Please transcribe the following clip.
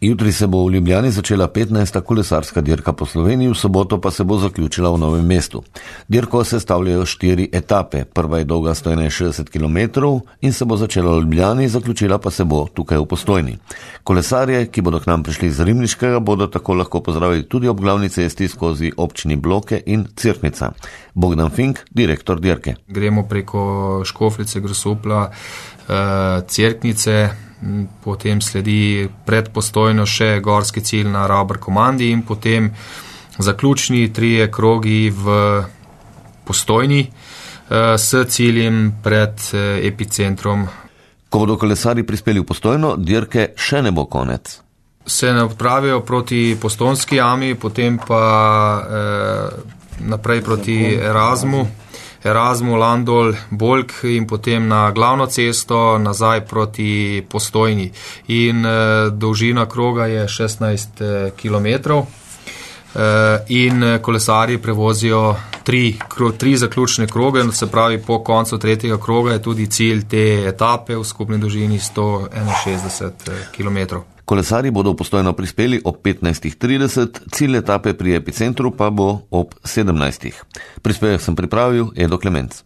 Jutri se bo v Ljubljani začela 15. kolesarska dirka po Sloveniji, v soboto pa se bo zaključila v Novem mestu. Dirko sestavljajo 4 etape. Prva je dolga 161 km in se bo začela v Ljubljani, zaključila pa se bo tukaj v Postojni. Kolesarje, ki bodo k nam prišli iz Ribniškega, bodo tako lahko pozdravili tudi ob glavni cesti skozi občini Bloke in Cerknica. Bogdan Fink, direktor dirke. Gremo preko Škofljice, Grosuplja, Cerknice, potem sledi pred Postojno še gorski cilj na Ravbar komandi in potem zaključni 3 krogi v Postojni s ciljem pred epicentrom. Ko bodo kolesari prispeli v Postojno, dirke še ne bo konec. Se ne odpravijo proti Postojnski jami, potem pa naprej proti Erasmu, Landol, Bolk in potem na glavno cesto nazaj proti Postojni. In dolžina kroga je 16 km in kolesarji prevozijo 3 zaključne kroge, se pravi po koncu 3. kroga je tudi cilj te etape v skupni dolžini 161 km. Kolesarji bodo v Postojno prispeli ob 15.30, cilj etape pri epicentru pa bo ob 17. Prispevek sem pripravil Edo Klemenc.